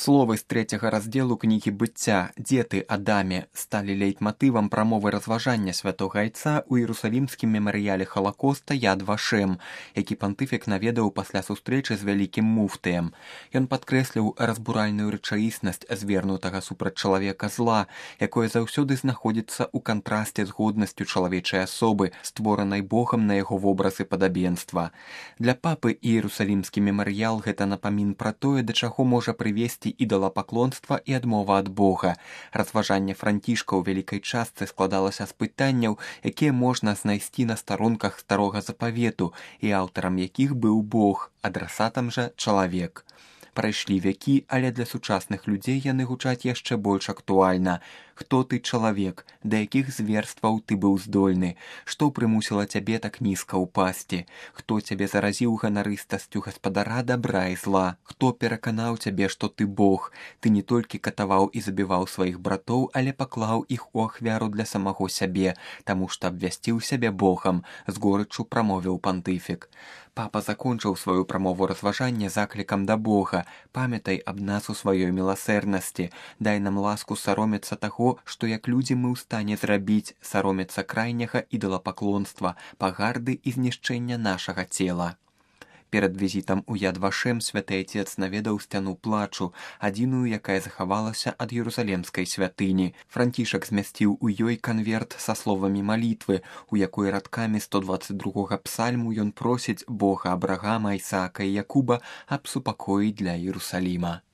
Словы з 3-го раздзелу кнігі быцця «Дзе ты, Адаме» сталі лейтматывам прамовы разважання святога айца ў Іерусалімскім мемарыяле Халакоста Яд Вашем, які пантыфік наведаў пасля сустрэчы з вялікім муфтыем. Ён падкрэсліў разбуральную рэчаіснасць звернутага супраць чалавека зла, якое заўсёды знаходзіцца ў кантрасце з годнасцю чалавечай асобы, створанай Богам на яго вобраз і падабенства. Для папы Іерусалімскі мемарыял гэта напамін пра тое, да чаго можа прывесці ідалапаклонства і адмова ад Бога. Разважанне Францішка ў вялікай частцы складалася з пытанняў, якія можна знайсці на старонках старога запавету, і аўтарам якіх быў Бог, адрасатам жа чалавек. Прайшлі вякі, але для сучасных людзей яны гучаць яшчэ больш актуальна. Хто ты, чалавек? Да якіх зверстваў ты быў здольны? Што прымусіла цябе так нізка ўпасці? Хто цябе заразіў ганарыстасцю гаспадара дабра і зла? Хто пераканаў цябе, што ты Бог? Ты не толькі катаваў і забіваў сваіх братоў, але паклаў іх у ахвяру для самого сябе, таму што абвясціў сябе Богам, з горыччу прамовіў пантыфік. Папа закончыў сваю прамову разважання заклікам да Бога: «Памятай аб нас у сваёй міласэрнасці, дай нам ласку саромецца таго, што як людзі мы ў стане зрабіць, саромецца крайняга ідалапаклонства, пагарды і знішчэння нашага цела». Перад візітам у Яд Вашем святы айцец наведаў сцяну плачу, адзіную, якая захавалася ад Іерусалімскай святыні. Францішак змясціў у ёй канверт са словамі малітвы, у якой радкамі 122-га псальму ён просіць Бога Абрагама, Ісаака і Якуба аб супакоі для Іерусаліма.